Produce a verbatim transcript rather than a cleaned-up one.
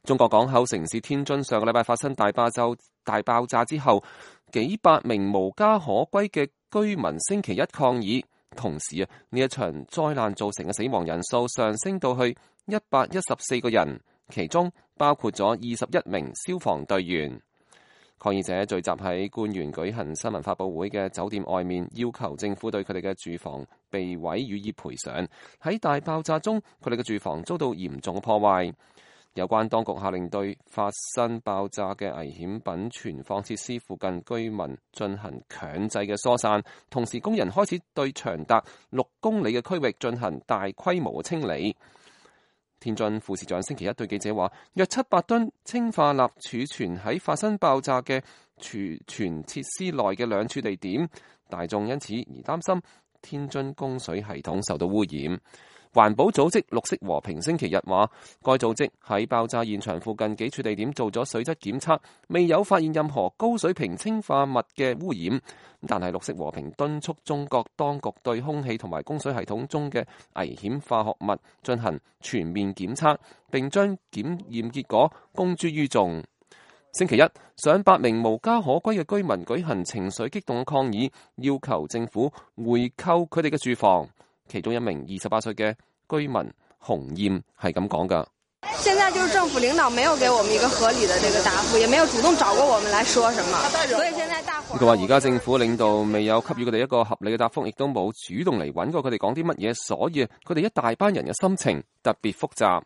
中國港口城市天津上個禮拜發生大爆炸，大爆炸之後，幾百名無家可歸嘅居民星期一抗議，同時啊，呢一場災難造成嘅死亡人數上升到去一百一十四個人，其中包括咗二十一名消防隊員。抗議者聚集喺官員舉行新聞發佈會嘅酒店外面，要求政府對佢哋嘅住房被毀予以賠償。喺大爆炸中，佢哋嘅住房遭到嚴重破壞。有關當局下令對發生爆炸嘅危險品存放設施附近居民進行強制嘅疏散，同時工人開始對長達六公里嘅區域進行大規模嘅清理。天津副市長星期一對記者話，約七百噸氰化鈉儲存喺發生爆炸嘅儲存設施內嘅兩處地點，大眾因此而擔心天津供水系統受到污染。環保組織綠色和平星期日話，該組織喺爆炸現場附近幾處地點做咗水質檢測，未有發現任何高水平氰化物嘅污染。但係綠色和平敦促中國當局對空氣同埋供水系統中嘅危險化學物進行全面檢測，並將檢驗結果公諸於眾。星期一，上百名無家可歸嘅居民舉行情緒激動嘅抗議，要求政府回購佢哋嘅住房。其中一名二十八歲嘅居民洪艷係咁講噶。現在就是政府領導沒有給我們一個合理的這個答覆，也沒有主動找過我們來說什麼，所以現在大伙。佢話而家政府領導未有給予佢哋一個合理嘅答覆，亦都冇主動嚟揾過佢哋講啲乜嘢，所以佢哋一大班人嘅心情特別複雜。